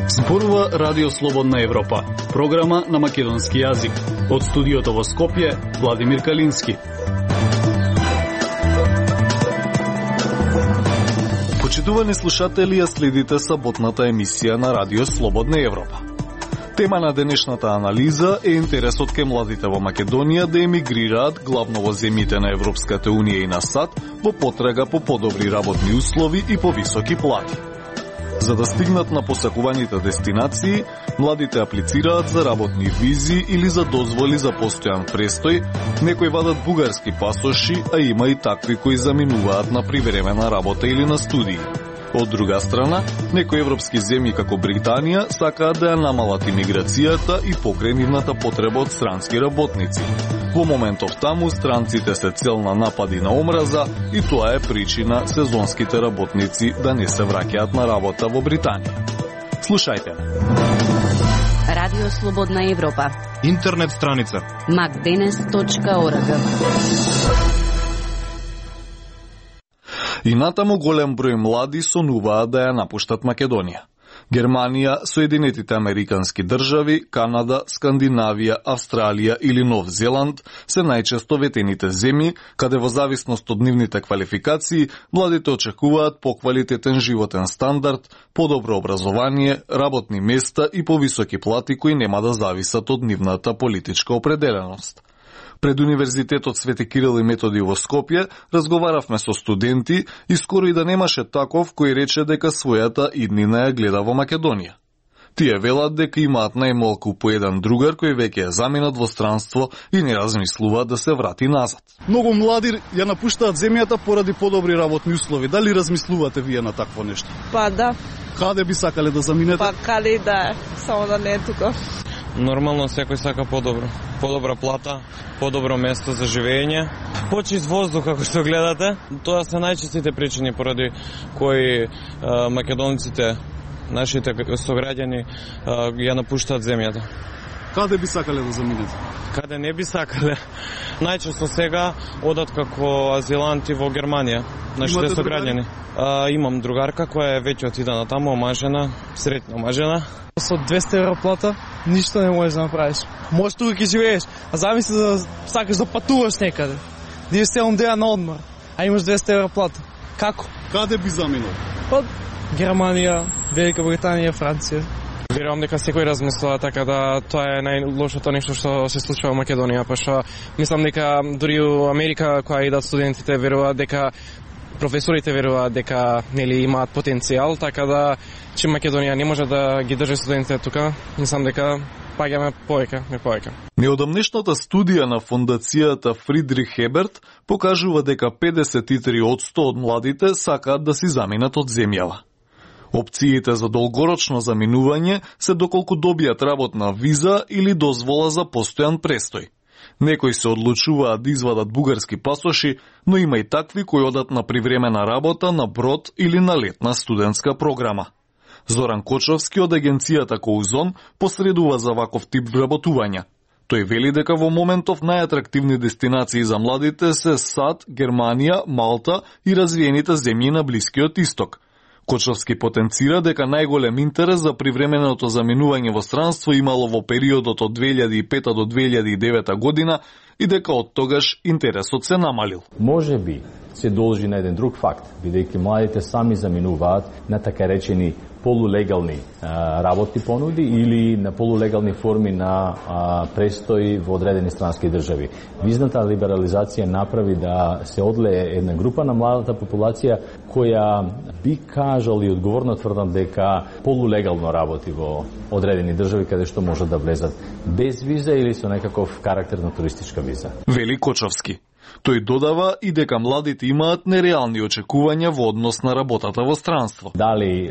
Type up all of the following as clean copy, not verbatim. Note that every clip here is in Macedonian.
Зборува Радио Слободна Европа, програма на македонски јазик. Од студиото во Скопје, Владимир Калински. Почитувани слушатели, ја следите саботната емисија на Радио Слободна Европа. Тема на денешната анализа е интересот ке младите во Македонија да емигрираат главно во земјите на Европската Унија и на САД во потрага по подобри работни услови и повисоки плати. За да стигнат на посакуваните дестинации, младите аплицираат за работни визи или за дозволи за постојан престој, некои вадат бугарски пасоши, а има и такви кои заминуваат на привремена работа или на студии. Од друга страна, некои европски земји како Британија сакаат да ја намалат имиграцијата и покрај нивната потреба од странски работници. Во моментов таму странците се цел на напади на омраза и тоа е причина сезонските работници да не се враќаат на работа во Британија. Слушајте. Радио Слободна Европа. Интернет страница macdenes.org. И натаму голем број млади сонуваат да ја напуштат Македонија. Германија, Соединетите Американски држави, Канада, Скандинавија, Австралија или Нов Зеланд се најчесто ветените земји, каде во зависност од нивните квалификации, младите очекуваат поквалитетен животен стандард, подобро образование, работни места и повисоки плати кои нема да зависат од нивната политичка определеност. Пред Универзитетот Свети Кирил и Методи во Скопје разговаравме со студенти и скоро и да немаше таков кој рече дека својата иднина ја гледа во Македонија. Тие велат дека имаат најмалку по еден другар кој веќе е заминат во странство и не размислуваат да се врати назад. Многу млади ја напуштаат земјата поради подобри работни услови. Дали размислувате вие на такво нешто? Па да. Каде би сакале да заминете? Па каде да, само да не е тука. Нормално секој сака подобро. Подобра плата, подобро место за живење, почист воздух како што гледате. Тоа се најчестите причини поради кои македонците, нашите сограѓани ја напуштаат земјата. Каде би сакале да заминете? Каде не би сакале? Најчесто сега одат како азиланти во Германија, нашите сограѓани. Имам другарка која е веќе отидена таму, омажена, среќна омажена. Со 200 евро плата ништо не можеш да направиш. Можеш тука ќе живееш, а замисли да сакаш да патуваш некаде. Да идеш 7 дена на одмор, а имаш 200 евро плата. Како? Каде би заминал? Од Германија, Велика Британија, Франција. Верувам дека секој размислува така да тоа е најлошото нешто што се случува во Македонија, па што мислам дека дури у Америка која идат студентите веруваат дека професорите веруваат дека нели имаат потенцијал, така да че Македонија не може да ги држи студентите тука, мислам дека паѓаме повеќе. Неодамнешната студија на фондацијата Фридрих Еберт покажува дека 53% од младите сакаат да си заминат од земјава. Опциите за долгорочно заминување се доколку добијат работна виза или дозвола за постојан престој. Некои се одлучуваат да извадат бугарски пасоши, но има и такви кои одат на привремена работа на брод или на летна студентска програма. Зоран Кочовски од агенцијата Коузон посредува за ваков тип вработувања. Тој вели дека во моментов најатрактивни дестинации за младите се САД, Германија, Малта и развиените земји на Блискиот Исток. Кочовски потенцира дека најголем интерес за привременото заминување во странство имало во периодот од 2005 до 2009 година и дека од тогаш интересот се намалил. Може би се должи на еден друг факт, бидејќи младите сами заминуваат на така речени полулегални работни понуди или на полулегални форми на престој во одредени странски држави. Визната либерализација направи да се одлее една група на младата популација која би кажал и одговорно тврдам дека полулегално работи во одредени држави каде што може да влезат без виза или со некаков карактер на туристичка виза. Вели Кочовски. Тој додава и дека младите имаат нереални очекувања во однос на работата во странство. Дали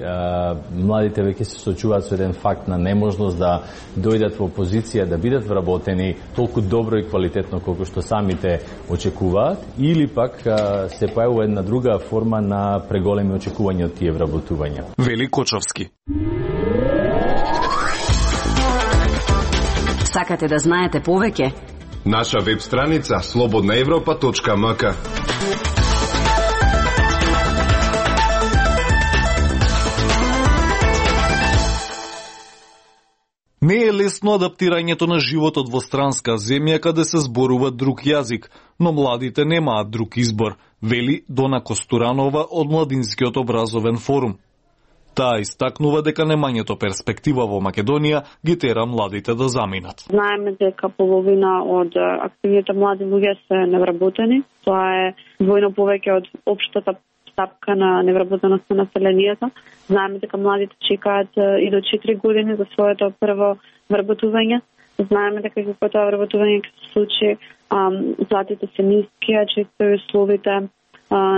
младите веќе се соочуваат со еден факт на неможност да дојдат во позиција да бидат вработени толку добро и квалитетно колку што самите очекуваат, или пак се појавува една друга форма на преголеми очекувања од тие вработувања. Вели Кочовски. Сакате да знаете повеќе? Наша веб страница slobodnaevropa.mk. Не е лесно адаптирањето на животот во странска земја каде се зборува друг јазик, но младите немаат друг избор, вели Дона Костуранова од Младинскиот образовен форум. Таа истакнува дека немањето перспектива во Македонија ги тера младите да заминат. Знаеме дека половина од активните млади луѓе се невработени. Тоа е двојно повеќе од општата стапка на невработеност на населението. Знаеме дека младите чекаат и до 4 години за своето прво вработување. Знаеме дека кога тоа вработување ќе се случи, платите се ниски, а често и условите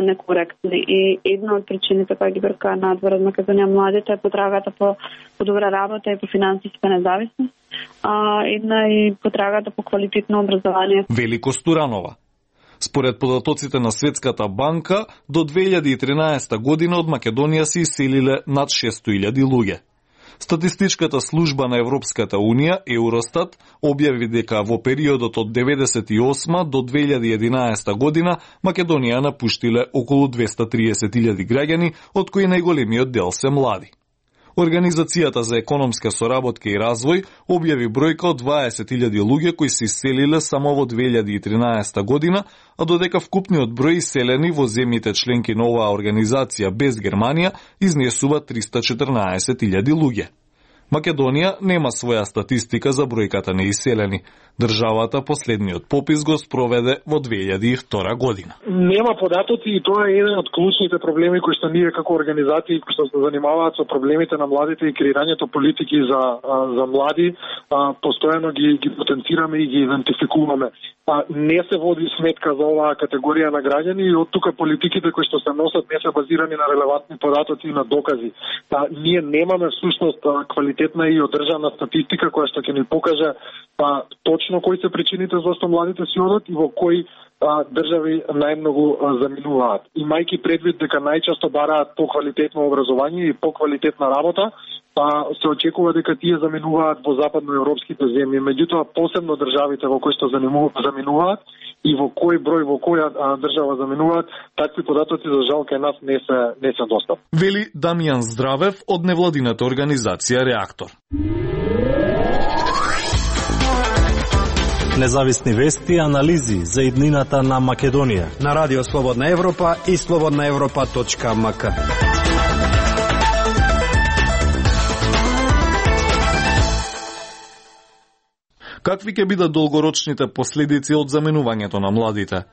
некоректни. И една од причините која ги брка надвор од Македонија младите е потрагата по добра работа и по финансиска независност, една и потрагата по квалитетно образование. Вели Костуранова. Според податоците на Светската банка, до 2013 година од Македонија се иселиле над 600.000 луѓе. Статистичката служба на Европската Унија, Евростат, објави дека во периодот од 1998 до 2011 година Македонија напуштиле околу 230.000 граѓани, од кои најголемиот дел се млади. Организацијата за економска соработка и развој објави бројка од 20.000 луѓе кои се иселиле само во 2013 година, а додека вкупниот број иселени во земјите членки на оваа организација без Германија изнесува 314.000 луѓе. Македонија нема своја статистика за бројката на иселени. Државата последниот попис го спроведе во 2002 година. Нема податоци и тоа е еден од клучните проблеми кои што ние како организации кои што се занимаваат со проблемите на младите и креирањето политики за млади, постојано ги потенцираме и ги идентификуваме. Не се води сметка за оваа категорија на граѓани и од тука политиките кои што се носат не се базирани на релевантни податоци и на докази. Ние немаме всушност квалитетна и одржана статистика која што ќе ни покаже точно кои се причините зашто младите си одат и во кои држави најмногу заминуваат. Имајќи предвид дека најчесто бараат поквалитетно образование и поквалитетна работа, се очекува дека тие заминуваат во западноевропските земји. Меѓутоа, посебно државите во кои што заминуваат и во кој број, во која држава заминуваат, такви податоци за жал кај нас не се достапни. Вели Дамјан Здравев од невладината организација Реактор. Независни вести и анализи за иднината на Македонија на Радио Слободна Европа и slobodnaevropa.mk. Какви ќе бидат долгорочните последици од заминувањето на младите?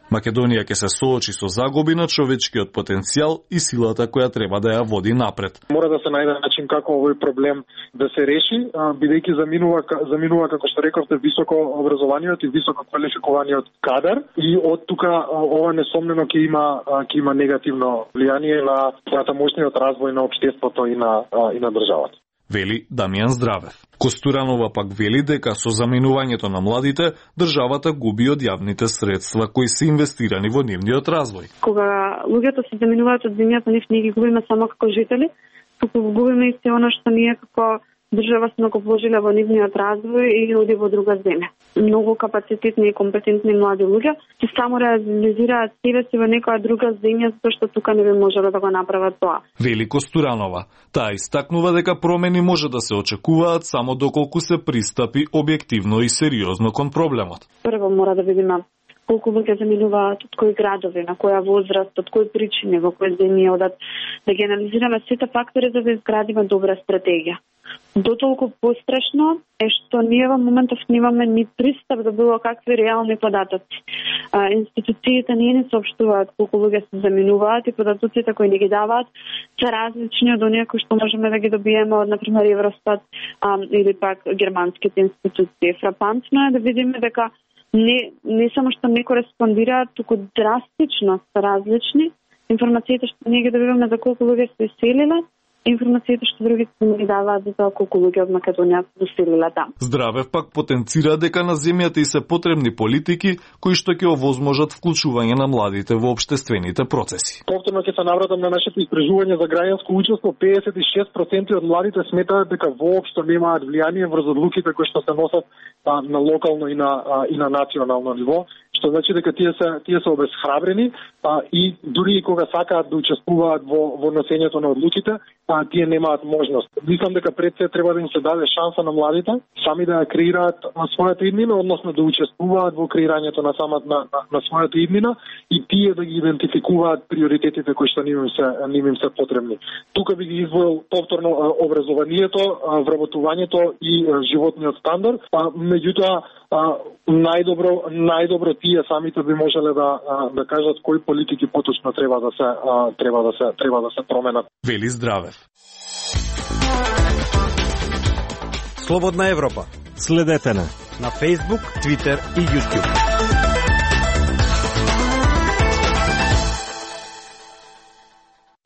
Македонија ќе се соочи со загуби на човечкиот потенцијал и силата која треба да ја води напред. Мора да се најде начин како овој проблем да се реши, бидејќи заминува како што рековте високо образованиот и високо квалификуваниот кадар и од тука ова несомнено ќе има негативно влијание на натамошниот развој на општеството и на државата. Вели Дамјан Здравев. Костуранова пак вели дека со заминувањето на младите, државата губи од јавните средства кои се инвестирани во нивниот развој. Кога луѓето се заминуваат од земјата, нив не ги губиме само како жители, туку губиме и се она што ние како држава сме го вложиле во нивниот развој и оди во друга земја. Многу капацитетни и компетентни млади луѓе се само реализираат себе си во некоја друга земја, затоа што тука не би можело да го направат тоа. Вели Костуранова. Таа истакнува дека промени може да се очекуваат само доколку се пристапи објективно и сериозно кон проблемот. Прво мора да видиме колку луѓе заминуваат, од кои градови, на која возраст, од кои причини, во кои земји одат, да ги анализираме сите фактори за да изградиме добра стратегија. Дотолку пострашно е што ние во моментов немаме ни пристап до било какви реални податоци. Институциите не ни соопштуваат колку луѓе се заминуваат и податоците кои ни ги даваат се различни од оние кои што можеме да ги добиеме од, например, Евростат или пак германските институции. Фрапантно е да видиме дека не само што не кореспондираат, туку драстично се различни информациите што ние ги добиваме за колку луѓе се иселиле информациите што другите ни даваат за тоа колку луѓе од Македонија доселиле таму. Здравев пак потенцира дека на земјата и се потребни политики кои што ќе овозможат вклучување на младите во општествените процеси. Повторно ќе се навратам на нашето истражување за граѓанско учество. 56% од младите сметаат дека воопшто немаат влијание врз одлуките кои што се носат на локално и на национално ниво, што значи дека тие се обесхрабрени и дури и кога сакаат да учествуваат во носењето на одлуките, тие немаат можност. Мислам дека пред се треба да им се даде шанса на младите сами да ја креираат на својата иднина, односно да учествуваат во креирањето на својата иднина и тие да ги идентификуваат приоритетите кои што ним се потребни. Тука би ги издвоил повторно образованието, вработувањето и животниот стандард. Меѓутоа најдобро тие самите би можеле да кажат кои политики поточно треба да се променат. Вели Здравев. Слободна Европа. Следете на Facebook, Twitter и YouTube.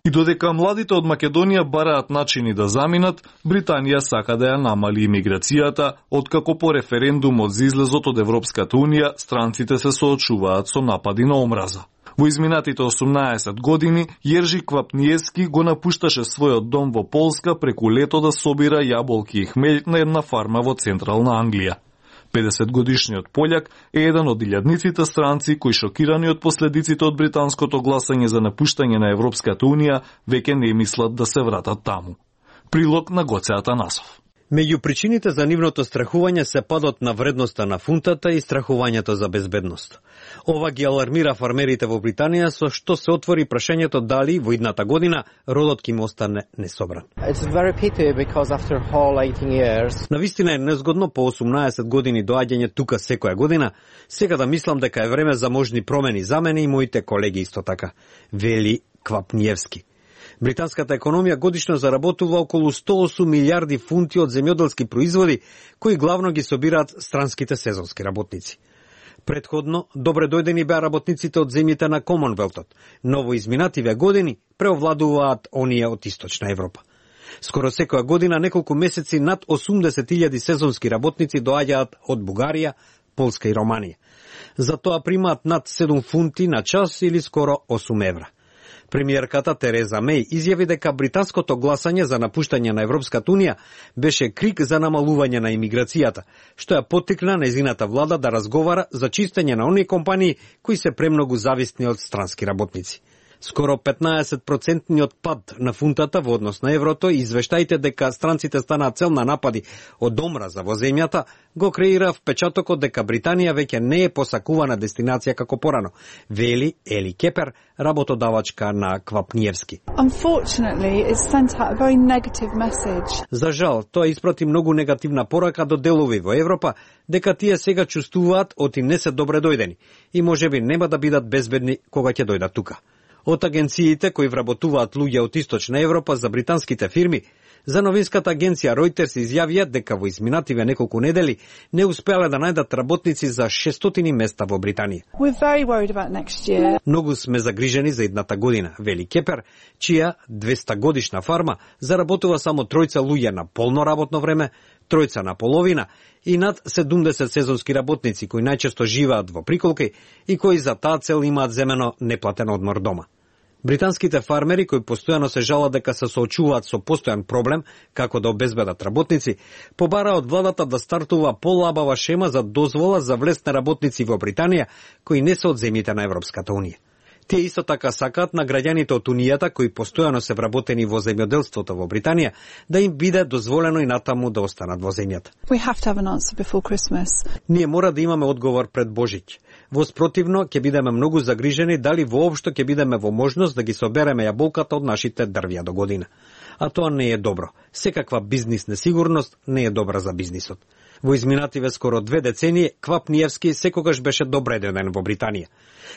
И додека младите од Македонија бараат начини да заминат, Британија сака да ја намали имиграцијата, откако по референдумот за излезот од Европската Унија странците се соочуваат со напади на омраза. Во изминатите 18 години, Јержи Квапниевски го напушташе својот дом во Полска преку лето да собира јаболки и хмелј на една фарма во централна Англија. 50-годишниот пољак е еден од илјадниците странци кои, шокирани од последиците од британското гласање за напуштање на Европската Унија, веќе не мислат да се вратат таму. Прилог на Гоце Атанасов. Меѓу причините за нивното страхување се падот на вредноста на фунтата и страхувањето за безбедност. Ова ги алармира фармерите во Британија, со што се отвори прашањето дали во идната година родот ќе им остане несобран. Навистина е незгодно по 18 години доаѓање тука секоја година, сега да мислам дека е време за можни промени за мене и моите колеги исто така, вели Квапниевски. Британската економија годишно заработува околу 108 милиарди фунти од земјоделски производи, кои главно ги собираат странските сезонски работници. Предходно, добре дојдени беа работниците од земјите на Комонвелтот, но во изминативе години преовладуваат оние од Источна Европа. Скоро секоја година неколку месеци над 80.000 сезонски работници доаѓаат од Бугарија, Полска и Романија. За тоа примаат над 7 фунти на час или скоро 8 евра. Премиерката Тереза Меј изјави дека британското гласање за напуштање на Европската Унија беше крик за намалување на имиграцијата, што ја поттикна нејзината влада да разговара за чистење на оние компании кои се премногу зависни од странски работници. Скоро 15% пад на фунтата во однос на еврото и извештаите дека странците станаат цел на напади од омраза во земјата го креира впечатокот дека Британија веќе не е посакувана дестинација како порано, вели Ели Кепер, работодавачка на Квапниевски. За жал, тоа испрати многу негативна порака до делови во Европа дека тие сега чувствуваат оти не се добре дојдени и можеби нема да бидат безбедни кога ќе дојдат тука. Од агенциите кои вработуваат луѓе од Источна Европа за британските фирми, за новинската агенција Reuters изјавија дека во изминативе неколку недели не успеале да најдат работници за 600 места во Британија. Многу сме загрижени за идната година, вели Кепер, чија 200 годишна фарма заработува само 3 луѓе на полно работно време, 3 на половина и над 70 сезонски работници кои најчесто живеат во приколки и кои за таа цел имаат земено неплатен одмор дома. Британските фармери кои постојано се жалат дека се соочуваат со постојан проблем како да обезбедат работници, побара од владата да стартува полабава шема за дозвола за влез на работници во Британија кои не се од земјите на Европската Унија. Тие исто така сакаат на граѓаните од Унијата кои постојано се вработени во земјоделството во Британија да им биде дозволено и натаму да останат во земјата. Ние мора да имаме одговор пред Божиќ. Во спротивно ќе бидеме многу загрижени дали воопшто ќе бидеме во можност да ги собереме јаболката од нашите дрвја до година. А тоа не е добро. Секаква бизнис несигурност не е добра за бизнисот. Во изминативе скоро 2 децении Квапниевски секогаш беше добреден во Британија.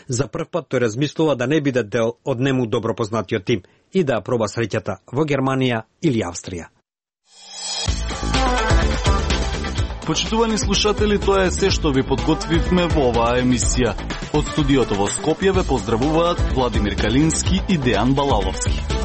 За прв пат тој размислува да не биде дел од нему добро познатиот тим и да проба среќата во Германија или Австрија. Почитувани слушатели, тоа е се што ви подготвивме во оваа емисија. Од студиото во Скопје ве поздравуваат Владимир Калински и Дејан Балаловски.